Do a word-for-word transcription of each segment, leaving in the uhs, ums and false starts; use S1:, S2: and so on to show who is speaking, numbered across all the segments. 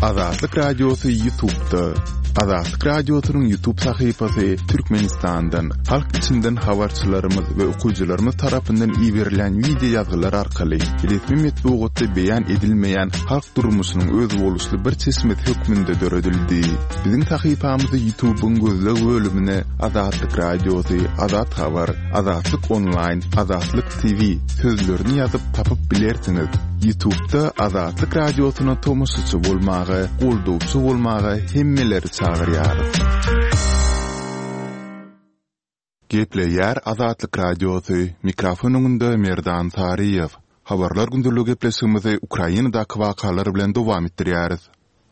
S1: Azatlyk Radiosy YouTube'da. Azatlyk Radiosynyň YouTube sahypasy Türkmenistandan, halk içinden habarçylarymyz we okyjylarymyz tarapyndan iberilen wideo ýazgylar arkaly resmi metbugatda beýan edilmeýän halk durmuşynyň özboluşly bir çeşmesi hökmünde döredildi. Biziň sahypamyzy YouTube'yň gözleg bölümine Azatlyk Radiosy, Azat Habar, Azatlyk Online, Azatlyk T V sözlerini ýazyp tapyp bilersiňiz. YouTube'da Azatlyk Radiosyna tomaşaçy bolmaga, goldawçy bolmaga hemmeleri çagyrýarys. Gepleýär Azatlyk Radiosy, mikrofon öňünde Merdan Saryýew. Habarlar gündeligi gepleşigimizi Ukrainadaky wakalar bilen dowam etdirýäris.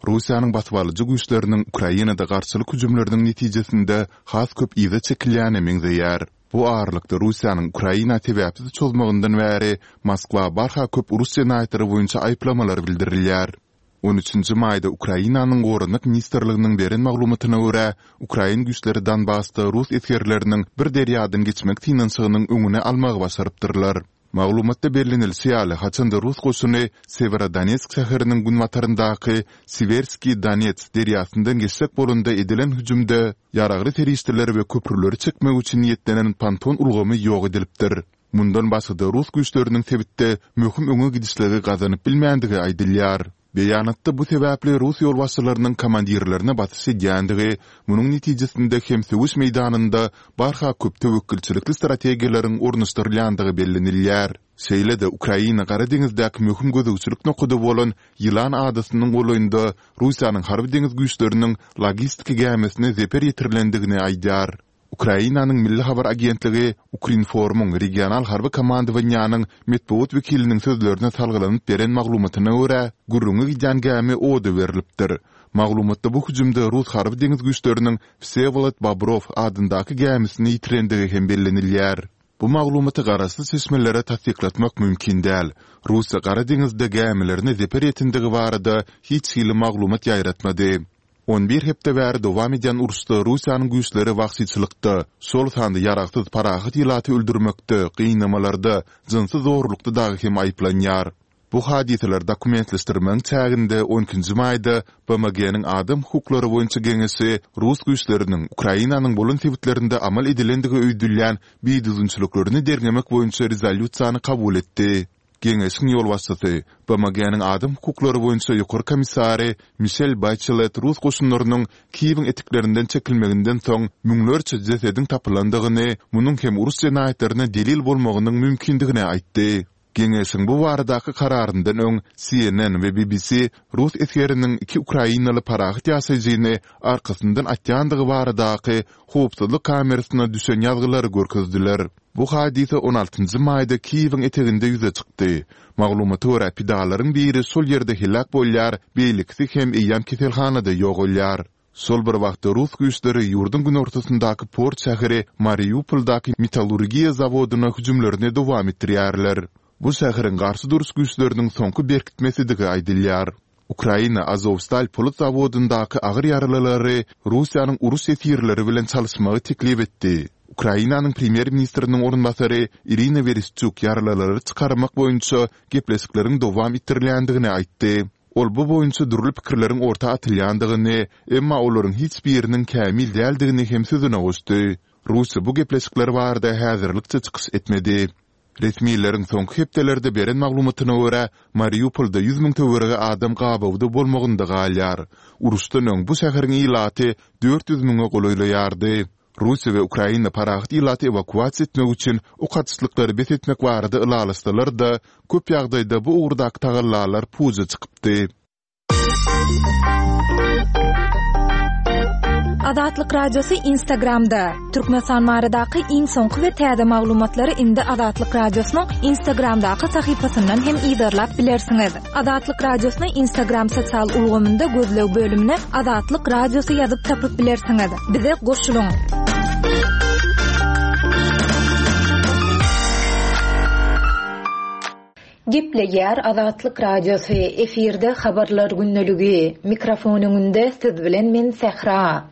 S1: Russiýanyň basybalyjy güýçleriniň Ukrainada garşylyk hüjümleriniň netijesinde has köp yza çekilýäne meňzeýär. Bu aralykda Russiýanyň Ukraina sebäpsiz çozmagyndan bäri Moskwa barha köp uruş jenaýatlary boýunça aýyplamalar bildirilýär. on üçünji maýda Ukrainanyň Goranmak ministrliginiň beren maglumatyna görä, ukrain güýçleri Donbasda rus esgerleriniň bir derýadan geçmek synanyşygynyň öňüni almagy başarypdyrlar. Maglumatda bellenilişi ýaly, haçanda rus goşuny Sewerodonetsk şäheriniň günbataryndaky Siwerskiý Donets derýasyndan geçjek bolanda edilen hüjümde ýaragly serişdeleri we köprüleri çekmek üçin niýetlenen ponton ulgamy ýok edilipdir. Mundan başga-da rus güýçleriniň sebitde möhüm öňe gidişligi gazanyp bilmändigi aýdylýar. Beýanatda bu sebäpli rus ýolbaşçylarynyň komandirlerine basyş edýändigi, munuň netijesinde hem söweş meýdanynda barha köp töwekgelçilikli strategiýalaryň ornaşdyrylýandygy bellenilýär. Şeýle-de Ukraina Gara deňizdäki möhüm gözegçilik nokady bolan Ýylan adasynyň golaýynda Russiýanyň harby deňiz güýçleriniň logistika gämisine zeper ýetirilendigini aýdýar. Ukrainanyň Milli habar agentligi Ukrinformyň regional harby komandowaniýanyň metbugat wekiliniň sözlerine salgylanyp beren maglumatyna görä, gürrüňi gidýän gämi oda berlipdir. Maglumatda bu hüjümde rus harby deňiz güýçleriniň Wsewolod Bobrow adyndaky gämisini ýitirendigi hem bellenilýär. Bu maglumaty garaşsyz çeşmelere tassyklatmak mümkin däl. Russiýa Gara deňizde gämilerine zeper ýetendigi barada hiç hili maglumat ýaýratmady. On bir hepde bäri dowam edýän uruşda Russiýanyň güýçleri wagşyçylykda, şol sanda ýaragsyz parahat ilaty öldürmekde, gynamalarda, jynsy zorlukda dagy hem aýyplanýar. Bu hadysalary dokumentleşdirmegiň çäginde on ikinji maýda B M G-niň Adam hukuklary boýunça geňeşi rus güýçleriniň Ukrainanyň bolan sebitlerinde amal edilendigi öýdülýän bidüzgünçiliklerini derňemek boýunça rezolýusiýany kabul etdi. Geňeşiň ýolbaşçysy, B M G-niň Adam hukuklary boýunça ýokary komissary Mişel Baçelet rus goşunlarynyň Kiýewiň etiklerinden çekilmeginden soň müňlerçe jesediň tapylandygyny, munuň hem uruş jenaýatlaryna delil bolmagynyň mümkindigini aýtdy. Geňeşiň bu baradaky kararyndan öň C N N we B B C rus esgeriniň iki ukrainaly parahat ýaşaýjyny arkasyndan atýandygy baradaky howpsuzlyk kamerasyna düşen ýazgylary görkezdiler. Bu hadysa on altynjy maýda Kiýewiň eteginde ýüze çykdy. Maglumata görä, pidalaryň biri şol ýerde heläk bolýar, beýlekisi hem eýýäm keselhanada ýogalýar. Şol bir wagtda rus güýçleri ýurduň günortasyndaky port şäheri Mariupoldaky metallurgiýa zawodyna hüjümlerini dowam etdirýärler. Bu şäheriň garşy duruş güýçleriniň soňky berkitmesidigi aýdylýar. Ukraina Azovstal polat zawodyndaky agyr ýaralylary Russiýanyň uruş esirleri bilen çalyşmagy teklip etdi. Ukrainanyň premýer-ministriniň orunbasary Irina Wereşçuk ýaralylary çykarmak boýunça gepleşikleriň dowam etdirilýändigini aýtdy. Ol bu boýunça dürli pikirleriň orta atylýandygyny, emma olaryň hiç biriniň kämil däldigini hem sözüne goşdy. Russiýa bu gepleşikler barada häzirlikçe çykyş etmedi. Resmileriň soňky hepdelerde beren maglumatyna görä, Mariupolda ýüz müň töweregi adam gabawda bolmagynda galýar. Uruşdan öň bu şäheriň ilaty dört ýüz müňe golaýlaýardy. Russiýa we Ukraina parahat ilaty ewakuasiýa etmek üçin ok atyşlyklary bes etmek barada ylalaşsalar-da, köp ýagdaýda bu ugurdaky tagallalar puja çykypdy.
S2: Azatlyk Radiosy Instagramda. Türkmenistan baradaky iň soňky we täze maglumatlary indi Azatlyk Radiosynyň Instagramdaky sahypasyndan hem yzarlap bilersiňiz. Azatlyk Radiosyny Instagram sosial ulgamynda gözleg bölümine Azatlyk Radiosy ýazyp tapyp bilersiňiz. Bize goşulyň. Gepleýär Azatlyk Radiosy, efirde habarlar gündeligi, mikrofon öňünde siz bilen men Sähra.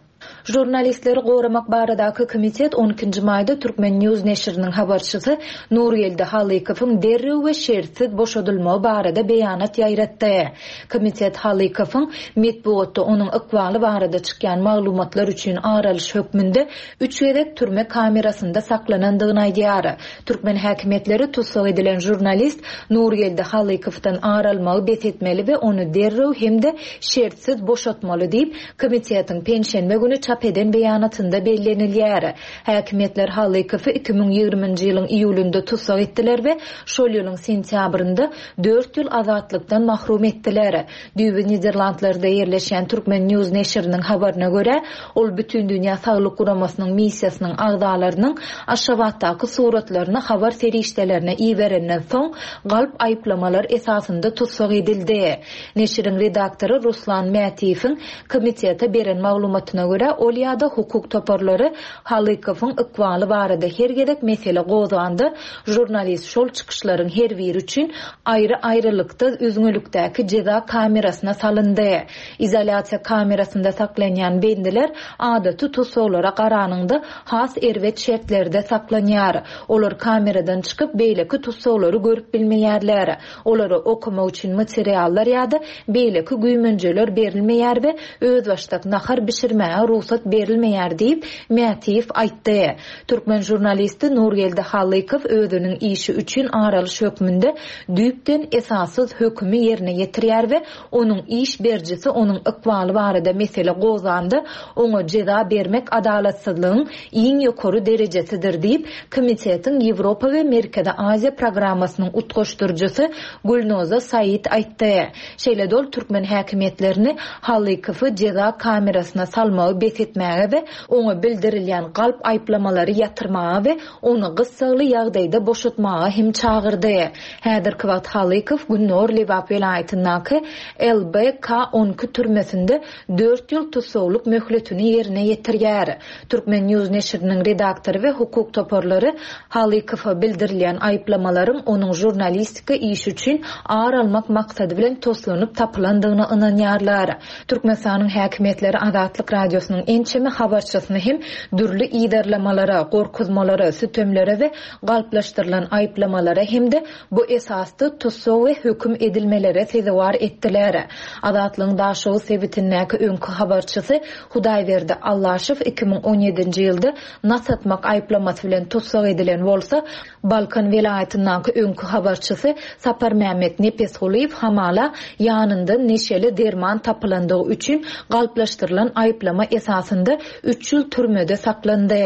S2: Žurnalistleri goramak baradaky komitet on ikinji maýda Turkmen News neşiriniň habarçysy Nurgeldi Halykowyň derrew we şertsiz boşadylmagy barada beýanat ýaýratdy. Komitet Halykowyň metbugatda onuň ykbaly barada çykýan maglumatlar üçin aralyş hökmünde üç gezek türme kamerasynda saklanandygyny aýdýar. Türkmen häkimiýetleri tussag edilen žurnalist Nurgeldi Halykowdan ar almagy bes etmeli we ony derrew hem-de şertsiz boşatmaly diýip, komitetiň penşenbe güni çap eden beýanatynda bellenilýär. Häkimiýetler Halykowy iki müň ýigriminji ýylyň iýulynda tussag etdiler we şol ýylyň sentýabrynda dört ýyl azatlykdan mahrum etdiler. Düýbi Niderlandlarda ýerleşýän Turkmen News neşiriniň habaryna görä, ol Bütün Dünýä Saglyk Guramasynyň missiýasynyň agzalarynyň Aşgabatdaky suratlaryny habar serişdelerine iberenden soň galp aýyplamalar esasynda tussag edildi. Neşiriň redaktory Ruslan Mätiýewiň komitete beren maglumatyna görä, ol ýa-da hukuk toparlary Halykowyň ykbaly barada her gezek mesele gozganda, žurnalist şol çykyşlaryň her biri üçin aýry-aýrylykda üzňelikdäki jeza kamerasyna salyndy. Izolýasiýa kamerasynda saklanýan bendiler adaty tussaglara garanyňda has erbet şertlerde saklanýar. Olar kameradan çykyp beýleki tussaglary görüp bilmeýärler. Olara okumak üçin materiallar ýa-da beýleki güýmenjeler berilmeýär we özbaşdak nahar bişirmäge rugsat berilmeýär diýip Mätiýew aýtdy. Türkmen žurnalisti Nurgeldi Halykow özüniň işi üçin aralyş hökmünde düýpden esassyz hökümi ýerine ýetirýär we onuň iş berjisi onuň ykbaly barada mesele gozganda oňa jeza bermek adalatsyzlygyň iň ýokary derejesidir diýip Komitetiň Ýewropa we Merkezi Aziýa programmasynyň utgaşdyryjysy Gülnoza Said aýtdy. Şeýle dol türkmen häkimiýetlerini Halykowy jeza kamerasyna salmagy bes etmäge we oňa bildirilýän galp aýyplamalary ýatyrmaga we ony gyssagly ýagdaýda boşatmaga hem çagyrdy. Häzirki wagt Halykow Günnor Lebap welaýatyndaky L B K on iki türmesinde dört ýyl tussaglyk möhletini ýerine ýetirýär. Turkmen News neşiriniň redaktory we hukuk toparlary Halykowa bildirilýän aýyplamalaryň onuň žurnalistika işi üçin ar almak maksady bilen toslanyp tapylandygyna ynanýarlar. Türkmenistanyň häkimiýetleri Azatlyk radiosynyň ençeme habarçysyny hem dürli ýerlamalara, gorkuzmalara, sütemlere we galplaşdyrylan aýyplamalara hem-de bu esasda tussag we höküm edilmelere sezewar etdiler. Azatlygyň Daşoguz sebitindäki öňki habarçysy Hudaýberdi Allaşow iki müň on ýedinji ýylda nas atmak aýyplamasy bilen tussag edilen bolsa, Balkan welaýatyndaky öňki habarçysy Saparmämmet Nepesgulyýew hamala ýanynda neşeli derman tapylandygy üçin galplaşdyrylan aýyplama esasynda üç ýyl türmede saklandy.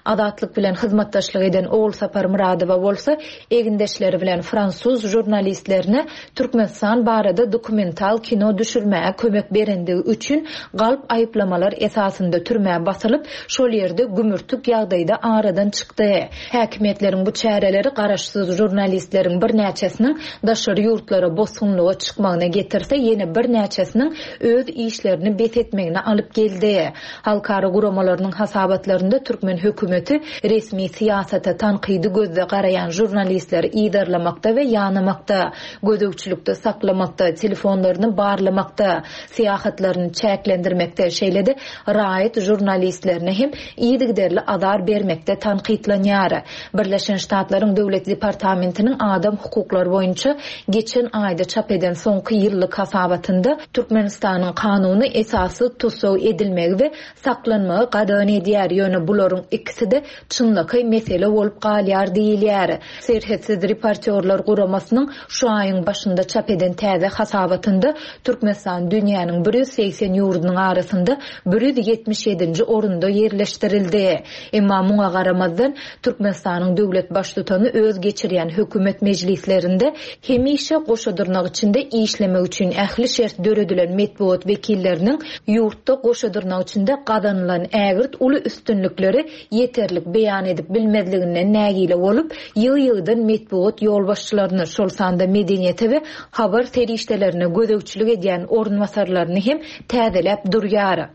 S2: Azatlyk bilen hyzmatdaşlyk eden Ogulsapar Muradowa bolsa egindeşleri bilen fransuz žurnalistlerine Türkmenistan barada dokumental kino düşürmäge kömek berendigi üçin galp aýyplamalar esasynda türmä basylyp, şol ýerde gümürtik ýagdaýda aradan çykdy. Häkimiýetleriň bu çäreleri garaşsyz žurnalistleriň birnäçesiniň daşary ýurtlara bosgunlyga çykmagyna getirse, ýene birnäçesiniň öz işlerini bes etmegine alyp geldi. Halkara guramalarynyň hasabatlarynda türkmen hökümeti resmi syýasata tankydy gözde garaýan žurnalistleri ýerlamakda we ýanamakda, gözegçilikde saklamakda, telefonlaryny barlamakda, syýahatlaryny çäklendirmekde, şeýle-de raýat žurnalistlerine hem yzygiderli azar bermekde tankytlanýar. Birleşen Ştatlaryň Döwlet Departamentiniň adam hukuklary boýunça geçen aýda çap eden soňky ýyllyk hasabatynda Türkmenistanyň kanuny esasy tussag edilmegi we saklanmagy gadagan edýär. Ýöne bularyň ikisi-de çynlakaý mesele bolup galýar diýilýär. Serhetsiz reportýorlar guramasynyň şu aýyň başynda çap eden täze hasabatynda Türkmenistan dünýäniň bir ýüz segsen ýurdunyň arasynda bir ýüz ýetmiş ýedinji orunda ýerleşdirildi. Emma muňa garamazdan Türkmenistanyň döwlet baştutany öz geçirýän hökümet mejlislerinde hemişe goşa dyrnak içinde işlemek üçin ähli şert döredilen metbugat wekilleriniň ýurtda goşa dyrnak içinde gazanylan ägirt uly üstünlikleri ýeterlik beýan edip bilmezliginden nägile bolup, ýygy-ýygydan metbugat ýolbaşçylaryny, şol sanda medeniýete we habar serişdelerine gözegçilik edýän orunbasarlaryny hem täzeläp durýar.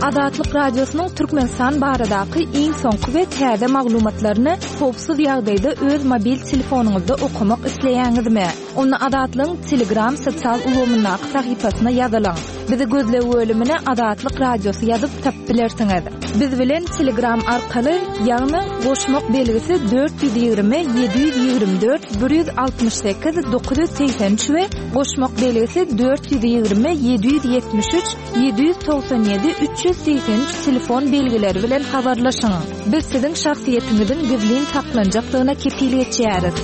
S3: Azatlyk Radiosynyň Türkmenistan baradaky iň soňky we täze maglumatlaryny howpsuz ýagdaýda öz mobil telefonyňyzda okamak isleýäňizmi? Onda Azatlygyň Telegram sosial ulgamyndaky sahypasyna ýazylyň. Bizi gözleg bölümine Azatlyk Radiosy ýazyp tapyp bilersiňiz. Biz bilen Telegram arkaly, ýagny goşmak belgisi dört ýüz ýigrimi ýedi ýüz ýigrimi dört bir ýüz altmyş sekiz dokuz ýüz segsen üç we goşmak belgisi dört ýüz ýigrimi ýedi ýüz ýetmiş üç ýedi ýüz togsan ýedi üç ýüz segsen üç telefon belgileri bilen habarlaşyň. Biz siziň şahsyýetiňiziň gizlin saklanjakdygyna kepil geçýäris.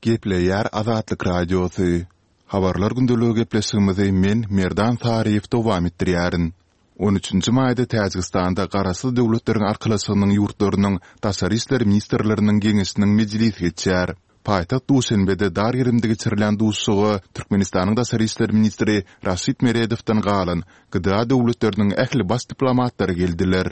S1: Gepleýär Azatlyk Radiosy. Habarlar gündeligi gepleşigimizi men Merdan Saryýew dowam etdirýärin. On üçünji maýda Täjigistanda Garaşsyz Döwletleriň Arkalaşygynyň ýurtlarynyň Daşary işler ministrleriniň geňeşiniň mejlisi geçýär. Paýtagt Duşenbede dar gerimde geçirilen duşuşyga Türkmenistanyň daşary işler ministri Raşid Meredowdan galan G D A döwletleriniň ähli baş diplomatlary geldiler.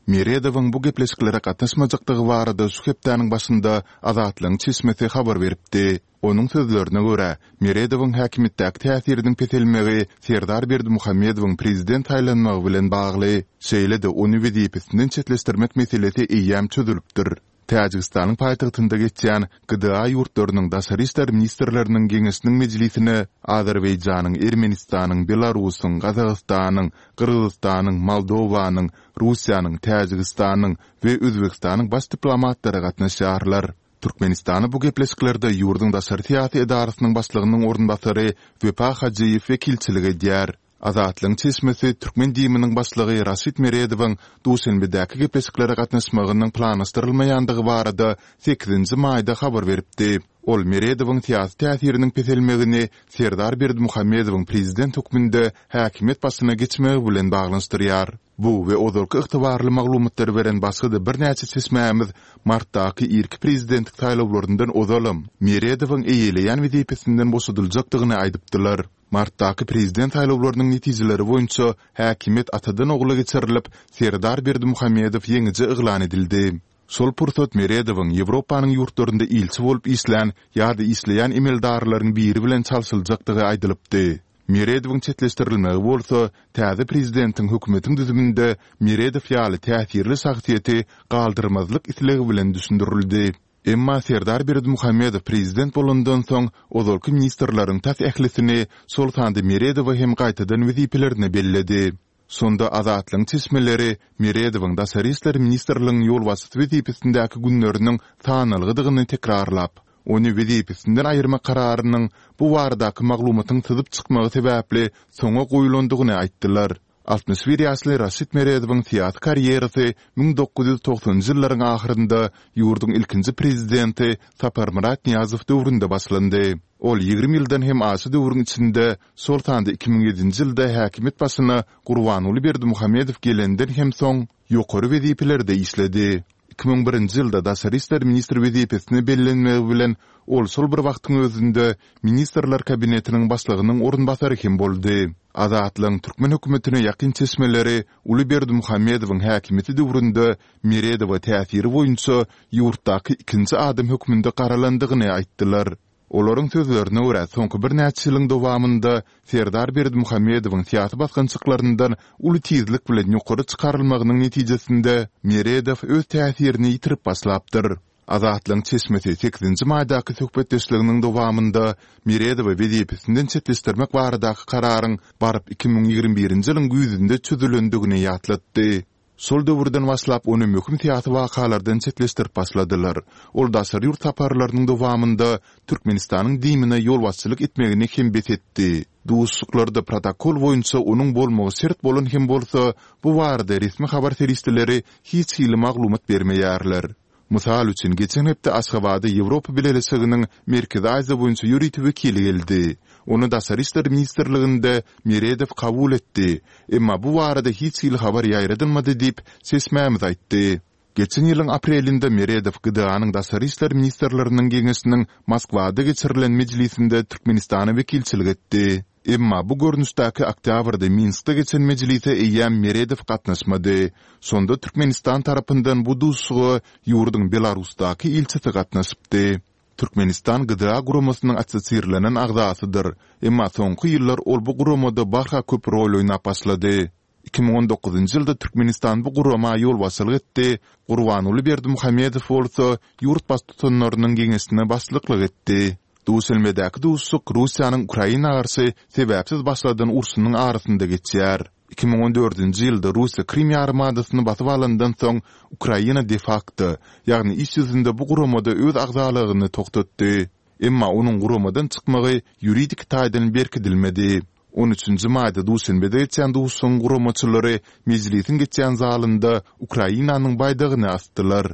S1: Meredowyň bu gepleşiklere gatnaşmajakdygy barada şu hepdäniň başynda Azatlygyň çeşmesi habar beripdi. Onuň sözlerine görä, Meredowyň häkimiýetdäki täsiriniň peselmegi Serdar Berdimuhamedowyň prezident saýlanmagy bilen bagly. Şeýle-de ony wezipesinden çetleşdirmek meselesi eýýäm çözülipdir. Täjigistanyň paýtagtynda geçýän G D A ýurtlarynyň daşary işler ministrleriniň geňeşiniň mejlisine Azerbaýjanyň, Ermenistanyň, Belarusyň, Gazagystanyň, Gyrgyzystanyň, Moldowanyň, Russiýanyň, Täjigistanyň we Özbegistanyň baş diplomatlary gatnaşýarlar. Türkmenistana bu gepleşiklerde ýurduň daşary syýasy edarasynyň başlygynyň orunbasary Wepa Hajyýew wekilçilik edýär. Azatlygyň çeşmesi türkmen D I M-iniň başlygy Raşid Meredowyň Duşenbedäki gepleşiklere gatnaşmagynyň planlaşdyrylmaýandygy barada sekizinji maýda habar beripdi. Ol Meredowyň syýasy täsiriniň peselmegini Serdar Berdimuhamedowyň prezident hökmünde häkimiýet başyna geçmegi bilen baglanyşdyrýar. Bu we ozalky ygtybarly maglumatlary beren başga-da birnäçe çeşmämiz martdaky irki prezidentlik saýlawlaryndan ozalam Meredowyň eýeleýän wezipesinden boşadyljakdygyny aýdypdylar. Martdaky prezident saýlawlarynyň netijeleri boýunça häkimiýet atadan ogla geçirilip, Serdar Berdimuhamedow ýeňiji yglan edildi. Şol pursat Meredowyň Ýewropanyň ýurtlarynda ilçi bolup işlän ýa-da işleýän emeldarlaryň biri bilen çalşyljakdygy aýdylypdy. Meredowyň çetleşdirilmegi bolsa täze prezidentiň hökümetiň düzüminde Meredow ýaly täsirli şahsyýeti galdyrmazlyk islegi bilen düşündirildi. Emma Serdar Berdimuhamedow prezident bolandan soň ozalky ministrleriň tas ählisini, şol sanda Meredowy hem gaýtadan wezipelerine belledi. Şonda Azatlygyň çeşmeleri Meredowyň Daşary işler ministrliginiň ýolbaşçysy wezipesindäki günleriniň sanalgydygyny tekrarlap, ony wezipesinden aýyrmak kararynyň bu baradaky maglumatyň syzyp çykmagy sebäpli soňa goýulandygyny aýtdylar. Altmyş bir ýaşly Raşid Meredowyň syýasy karýerasy müň dokuz ýüz togsanynjy ýyllaryň ahyrynda ýurduň ilkinji prezidenti Saparmyrat Nyýazow döwründe başlandy. Ol ýigrimi ýyldan hem aşa döwrüň içinde, şol sanda iki müň ýedinji ýylda häkimiýet başyna Gurbanguly Berdimuhamedow gelenden hem soň ýokary wezipelerde işledi. Iki müň birinji ýylda daşary işler ministri wezipesine bellenmegi bilen ol şol bir wagtyň özünde Ministrler Kabinetiniň başlygynyň orunbasary hem boldy. Azatlygyň türkmen hökümetine ýakyn çeşmeleri uly Berdimuhamedowyň häkimiýeti döwründe Meredowa täsiri boýunça ýurtdaky ikinji adam hökmünde garalandygyny aýtdylar. Olaryň sözlerine görä, soňky birnäçe ýylyň dowamynda Serdar Berdimuhamedowyň syýasy basgançaklaryndan uly tizlik bilen ýokary çykarylmagynyň netijesinde Meredow öz täsirini ýitirip başlapdyr. Azatlygyň çeşmesi sekizinji maýdaky söhbetdeşliginiň dowamynda Meredowy wezipesinden çetleşdirmek baradaky kararyň baryp iki müň ýigrimi birinji ýylyň güýzünde çözülendigini ýatlatdy. Şol döwürden başlap ony möhüm syýasy wakalardan çetleşdirip başladylar. Ol daşary ýurt saparlarynyň dowamynda Türkmenistanyň D I M-ine ýolbaşçylyk etmegini hem bes etdi. Duşuşyklarda protokol boýunça onuň bolmagy şert bolan hem bolsa, bu barada resmi habar serişdeleri hiç hili maglumat bermeýärler. Mysal üçin, geçen hepde Aşgabada Ýewropa Bileleşiginiň Merkezi Aziýa boýunça ýörite wekili geldi. Ony Daşary işler ministrliginde Meredow kabul etdi. Emma bu barada hiç hili habar ýaýradylmady diýip, çeşmämiz aýtdy. Geçen ýylyň aprelinde Meredow G D A-nyň Daşary işler ministrleriniň geňeşiniň Moskwada geçirilen mejlisinde Türkmenistana wekilçilik etdi. Emma bu görnüşdäki oktýabrda Minskde geçen mejlise eýýäm Meredow gatnaşmady. Şonda Türkmenistan tarapyndan bu duşuşyga ýurduň Belarusdaky ilçisi gatnaşypdy. Türkmenistan G D A guramasynyň assosirlenen agzasydyr. Emma soňky ýyllar ol bu guramada barha köp rol oýnap başlady. Iki müň on dokuzynjy ýylda Türkmenistan bu gurama ýolbaşçylyk etdi, Gurbanguly Berdimuhamedow bolsa ýurt baştutanlarynyň geňeşine başlyklyk etdi. Duşenbedäki duşuşyk Russiýanyň Ukraina garşy sebäpsiz başladan urşunyň arasynda geçýär. Iki müň on dördünji ýylda Russiýa Krym ýarymadasyny basyp alandan soň, Ukraina de-fakto, ýagny iş ýüzünde bu guramada öz agzalygyny togtatdy. Emma onuň guramadan çykmagy ýuridik taýdan berkidilmedi. On üçünji maýda Duşenbede geçýän duşuşygyň guramaçylary mejlisiň geçýän zalynda Ukrainanyň baýdagyny asdylar.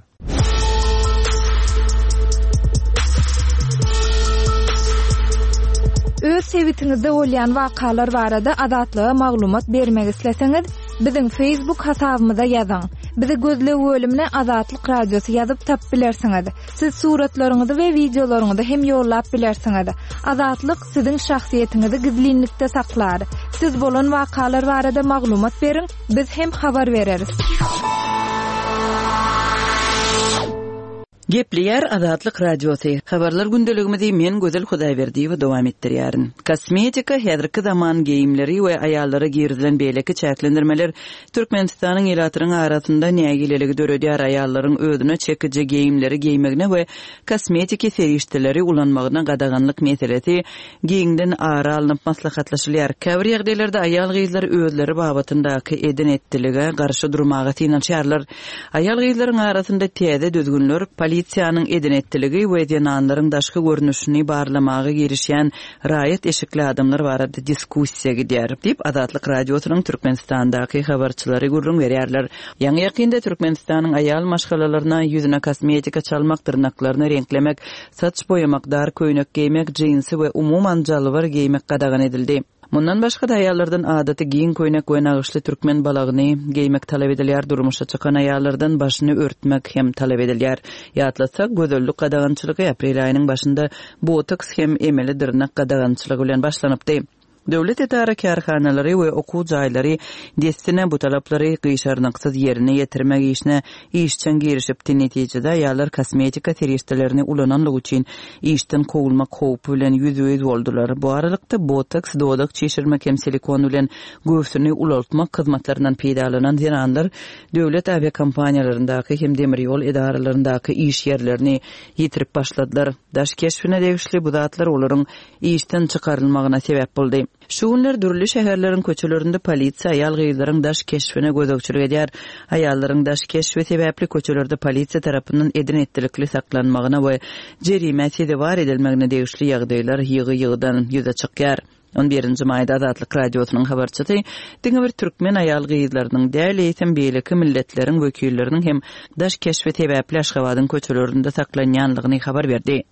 S2: Öz sebitiňizde bolýan wakalar barada Azatlyga maglumat bermek isleseňiz, biziň Facebook hasabymyza ýazyň. Bizi gözleg bölümine Azatlyk Radiosy ýazyp tapyp bilersiňiz. Siz suratlaryňyzy we wideolaryňyzy hem ýollap bilersiňiz. Azatlyk siziň şahsyýetiňizi gizlinlikde saklar. Siz bolan wakalar barada maglumat beriň, biz hem habar bereris.
S4: Gepleýär Azatlyk Radiosy. Habarlar gündeligimizi men Gözel Hudaýberdiýewa dowam etdirýärin. Kosmetika, häzirki zaman geýimleri we aýallara girizilen beýleki çäklendirmeler Türkmenistanyň ilatynyň arasynda nägileligi döredýär. Aýallaryň özüne çekiji geýimleri geýmegine we kosmetiki serişdeleri ulanmagyna gadaganlyk meselesi giňden ara alnyp maslahatlaşylýar. Käbir ýagdaýlarda aýal-gyzlar özleri babatyndaky eden-etdilige garşy durmaga synanyşýarlar. Aýal-gyzlaryň arasynda täze düzgünler polisiýanyň eden-etdiligi we zenanlaryň daşky görnüşini barlamaga girişýän raýat eşikli adamlar barada diskussiýa gidýär, diýip Azatlyk Radiosynyň Türkmenistandaky habarçylary gürrüň berýärler. Ýaňy ýakynda Türkmenistanyň aýal maşgalalaryna ýüzüne kosmetika çalmak, dyrnaklaryny reňklemek, saç boýamak, dar köýnek geýmek, jinsi we umuman jalbar geýmek gadagan edildi. Mundan başga-da aýallardan adaty giň köýnek we nagyşly türkmen balagyny geýmek talap edilýär, durmuşa çykan aýallardan başyny örtmek hem talap edilýär. Ýatlatsak, gözellik gadagançylygy aprel aýynyň başynda botoks hem emeli dyrnak gadagançylygy bilen başlanypdy. Döwlet edara kärhanalary we okuw jaýlary dessine bu talaplary gyşarnyksyz ýerine ýetirmek işine işjeň girişipdi. Netijede aýallar kosmetika serişdelerini ulananlygy üçin işden kowulmak howpy bilen ýüzbe-ýüz boldular. Bu aralykda botoks, dodak çişirmek hem silikon bilen göwsüni ulaltmak hyzmatlaryndan peýdalanan zenanlar döwlet awiakompaniýalaryndaky hem demir ýol edaralaryndaky iş ýerlerini ýitirip başladylar. Daş keşbine degişli bu zatlar olaryň işden çykarylmagyna sebäp boldy. Şu günler dürli şäherleriň köçelerinde polisiýa aýal-gyzlaryň daş keşbine gözegçilik edýär. Aýallaryň daş keşbi sebäpli köçelerde polisiýa tarapyndan eden-etdilikli saklanmagyna we jerimä sezewar edilmegine degişli ýagdaýlar ýygy-ýygydan ýüze çykýar. On birinji maýda Azatlyk Radiosynyň habarçysy diňe bir türkmen aýal-gyzlarynyň däl, eýsem beýleki milletleriň wekilleriniň hem daş keşbi sebäpli Aşgabadyň köçelerinde saklanýanlygyny habar berdi.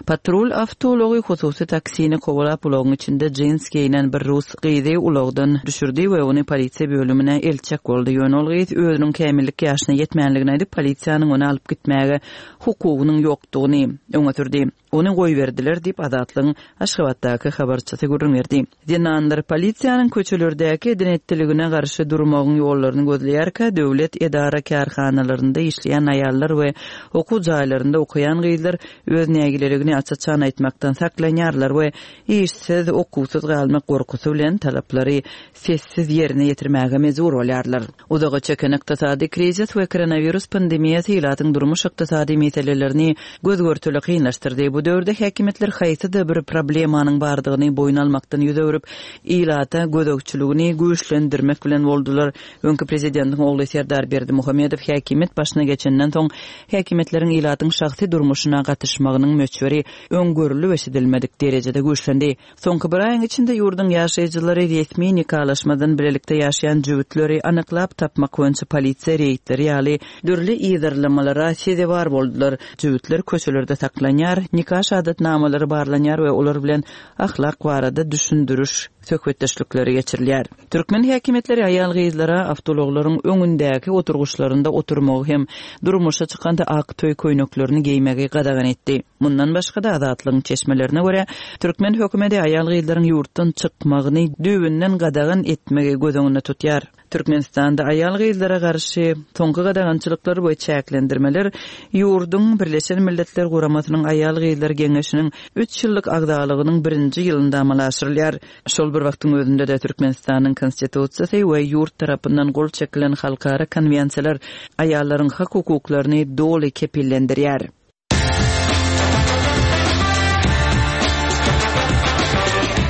S4: Patrul awtoulagy hususy taksini kowalap ulagyň içinde jins geýnen bir rus gyzy ulagdan düşürdi we ony polisiýa bölümine eltjek boldy. Ýöne ol gyz özüniň kämillik ýaşyna ýetmänligini aýdyp, polisiýanyň ony alyp gitmäge hukugynyň ýokdugyny öňe sürdi. Ony goýberdiler diýip Azatlygyň Aşgabatdaky habarçysy gürrüň berdi. Zenanlar polisiýanyň köçelerdäki eden-etdiligine garşy durmagyň ýollaryny gözleýärkä, döwlet edara kärhanalarynda işleýän aýallar we okuw jaýlarynda okaýan gyzlar öz nägileligini aç-açan aýtmakdan saklanýarlar we işsiz, okuwsyz galmak gorkusy bilen talaplary sessiz ýerine ýetirmäge mejbur bolýarlar. Uzaga çeken ykdysady krizis we koronawirus pandemiýasy ilatyň durmuş ykdysady meselelerini göz-görtele kynlaşdyrdy. Bu döwürde häkimiýetler haýsy-da bir problemanyň bardygyny boýun almakdan ýüz öwrüp, ilata gözegçiligini güýçlendirmek bilen boldular. Öňki prezidentiň ogly Serdar Berdimuhamedow häkimiýet başyna geçenden soň häkimiýetleriň ilatyň şahsy durmuşyna gatyşmagynyň möçberi öň görülip eşidilmedik derejede güýçlendi. Soňky bir aýyň içinde ýurduň ýaşaýjylary resmi nikalaşmadan bilelikde ýaşaýan jübütleri anyklap tapmak boýunça polisiýa reýdleri ýaly dürli yzarlamalara sezewar boldular. Jübütler köçelerde saklanýar, nika şahadatnamalary barlanýar we olar bilen ahlak barada düşündiriş söhbetdeşlikleri geçirilýär. Türkmen häkimiýetleri aýal-gyzlara awtoulaglaryň öňündäki oturgyçlarynda oturmagy hem durmuşa çykanda ak toý köýneklerini geýmegi gadagan etdi. Mundan başga-da Azatlygyň çeşmelerine görä, türkmen hökümeti aýal-gyzlaryň ýurtdan çykmagyny düýbünden gadagan etmegi göz öňünde tutýar. Türkmenistanda aýal-gyzlara garşy soňky gadagançylyklar we çäklendirmeler ýurduň Birleşen Milletler Guramasynyň Aýal-gyzlar Geňeşiniň üç ýyllyk agzalygynyň birinji ýylynda amala aşyrylýar. Şol bir wagtyň özünde-de Türkmenistanyň Konstitusiýasy we ýurt tarapyndan gol çekilen halkara konwensiýalar aýallaryň hak-hukuklaryny doly kepillendirýär.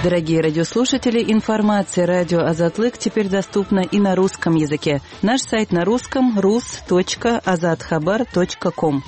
S4: Дорогие радиослушатели, информация радио Азатлык теперь доступна и на русском языке. Наш сайт на русском rus.azathabar.com.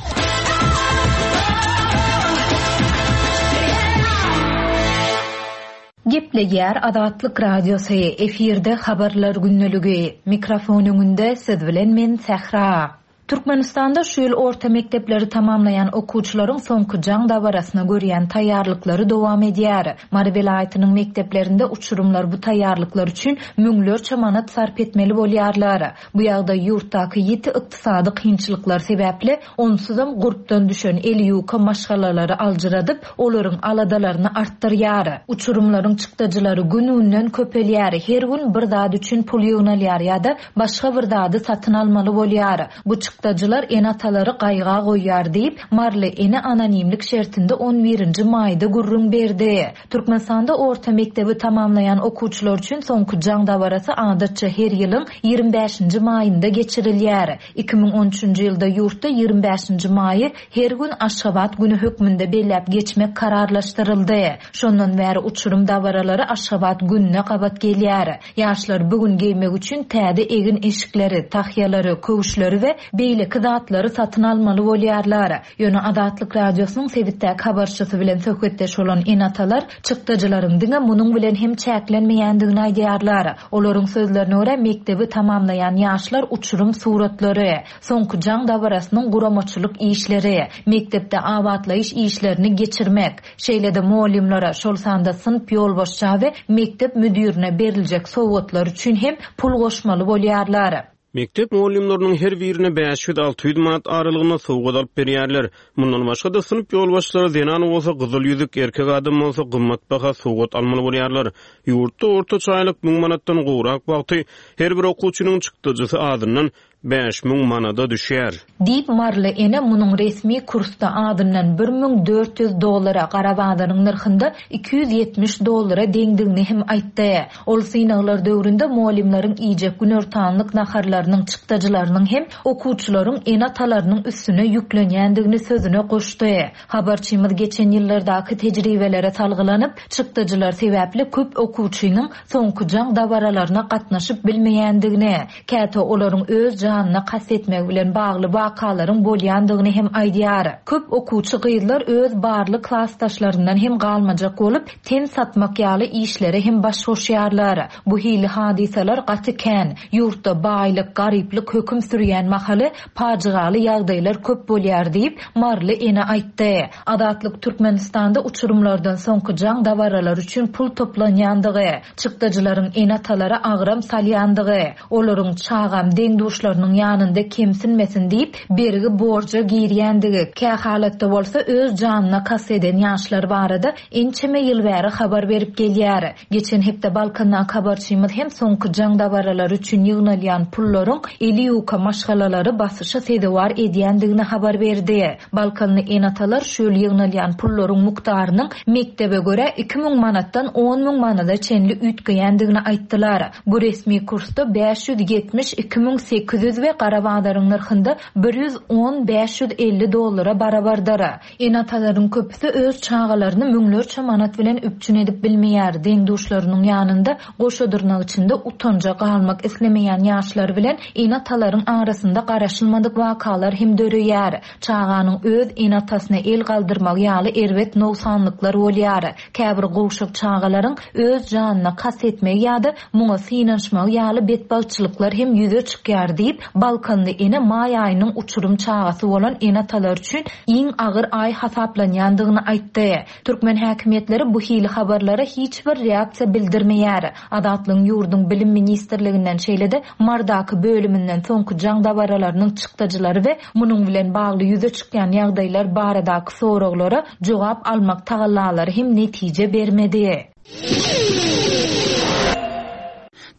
S3: Gepleýär Azatlyk Radiosy, efirde habarlar günlügi. Mikrofon öňünde siz bilen men Sähra. Türkmenistanda şu ýyl orta mekdepleri tamamlaýan okuwçylaryň soňky jaň dabarasyna görýän taýýarlyklary dowam edýär. Mary welaýatynyň mekdeplerinde uçurymlar bu taýýarlyklar üçin müňlerçe manat sarp etmeli bolýarlar. Bu ýagdaý ýurtdaky ýiti ykdysady kynçylyklar sebäpli onsuzam gurpdan düşen eli ýuka maşgalalary aljyradyp, olaryň aladalaryny artdyrýar. Uçurymlaryň çykdajylary gün-günden köpelýär. Her gün bir zat üçin pul ýygnalýar ýa-da başga bir zady satyn almaly bolýar. Bu çykdajylar ene-atalary gaýga goýýar diýip, Marly ene anonimlik şertinde on birinji maýda gürrüň berdi. Türkmenistanda orta mekdebi tamamlaýan okuwçylar üçin soňky jaň dabarasy adatça her ýylyň ýigrimi bäşinji maýynda geçirilýär. Iki müň on üçünji ýylda ýurtda ýigrimi bäşinji maýy her gün Aşgabat günü hökmünde belläp geçmek kararlaşdyryldy. Şondan bäri uçurum dabaralary Aşgabat gününe gabat gelýär. Ýaşlar bugün geýmek üçin täze egin eşikleri, tahýalary, köwüşleri we beýleki zatlary satyn almaly bolýarlar. Ýöne Azatlyk Radiosynyň sebitdäki habarçysy bilen söhbetdeş bolan ene-atalar çykdajylaryň diňe munuň bilen hem çäklenmeýändigini aýdýarlar. Olaryň sözlerine görä mekdebi tamamlaýan ýaşlar uçurum suratlary, soňky jaň dabarasynyň guramaçylyk işleri, mekdepde abatlaýyş işlerini geçirmek, şeýle-de mugallymlara, şol sanda synp ýolbaşça we mekdep müdirine beriljek sowgatlar üçin hem pul goşmaly bolýarlar.
S5: Mekdep mugallymlarynyň her birine bäş ýüz alty ýüz manat aralygynda sowgat alyp berýärler. Mundan başga-da synp ýolbaşçylary zenan bolsa gyzyl ýüzük, erkek adam bolsa gymmatbaha sowgat almaly bolýarlar. Ýurtda ortaça aýlyk müň manatdan gowrak wagty her bir okuwçynyň çykdajysy azyndan bäş müň manada düşýär.
S3: Diýip Marly ene munuň resmi kursda azyndan bir müň dört ýüz dollara, gara bazaryň nyrhynda iki ýüz ýetmiş dollara deňdigini hem aýtdy. Ol synaglar döwründe mugallymlaryň iýjek günortanlyk naharlarynyň çykdajylarynyň hem okuwçylaryň ene-atalarynyň üstüne ýüklenýändigini sözüne goşdy. Habarçymyz geçen ýyllardaky tejribelere salgylanyp, çykdajylar sebäpli köp okuwçynyň soňky jaň dabaralaryna gatnaşyp bilmeýändigini, käte olaryň öz janyna kast etmegi bilen bagly wakalaryň bolýandygyny hem aýdýar. Köp okuwçy gyzlar öz barly klasdaşlaryndan hem galmajak bolup, ten satmak ýaly işlere hem baş goşýarlar. Bu hili hadysalar gaty kän. Ýurtda baýlyk, garyplyk höküm sürýän mahaly pajygaly ýagdaýlar köp bolýar diýip Marly ene aýtdy. Azatlyk Türkmenistanda uçurymlardan soňky jaň dabaralary üçin pul toplanýandygy, çykdajylaryň ene-atalara agram salýandygy, olaryň çagam deň-duşlarynyň ýanynda kemsinmesin diýip bergi borja girýändigi, kä halatda bolsa öz janyna kast eden ýaşlar barada ençeme ýyl bäri habar berip gelýär. Geçen hepde Balkandan habarçymyz hem soňky jaň dabaralary üçin ýygnalýan pullaryň eli ýuka maşgalalary basyşa sezewar edýändigini habar berdi. Balkanly ene-atalar şu ýyl ýygnalýan pullaryň mukdarynyň mekdebe görä iki müň manatdan on müň manada çenli üýtgeýändigini aýtdylar. Bu resmi kursda bäş ýüz ýetmiş iki müň sekiz ýüz we gara bazaryň nyrhynda bir ýüz on bäş ýüz elli dollara barabardyr. Ene-atalaryň köpüsi öz çagalaryny müňlerçe manat bilen üpjün edip bilmeýär. Deň-duşlarynyň ýanynda goşa dyrnak içinde utanja galmak islemeýän ýaşlar bilen ene-atalaryň arasynda garaşylmadyk wakalar hem döreýär. Çaganyň öz ene-atasyna el galdyrmagy ýaly erbet nogsanlyklar bolýar. Käbir gowşak çagalaryň öz janyna kast etmegi ýa-da muňa synanyşmagy ýaly betbagtçylyklar hem ýüze çykýar diýip Balkanly ene maý aýynyň uçurum çagasy bolan ene-atalar üçin iň agyr aý hasaplanýandygyny aýtdy. Türkmen häkimiýetleri bu hili habarlara hiç bir reaksiýa bildirmeýär. Azatlygyň ýurduň bilim ministrliginden şeýle-de Mardaky bölüminden soňky jaň dabaralarynyň çykdajylary we munuň bilen bagly ýüze çykýan ýagdaýlar baradaky soraglara jogap almak tagallalary hem netije bermedi.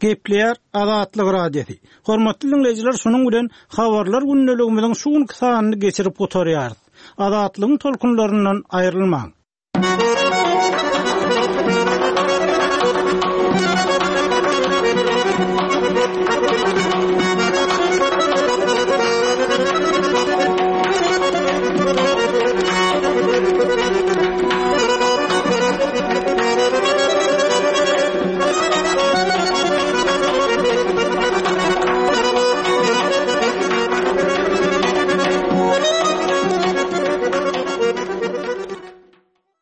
S6: Gepleýär Azatlyk Radiosy. Hormatly dinleýjiler, şunuň bilen habarlar gündeligimiziň şu günki sanyny geçirip gutarýarys. Azatlygyň tolkunlaryndan aýrylmaň.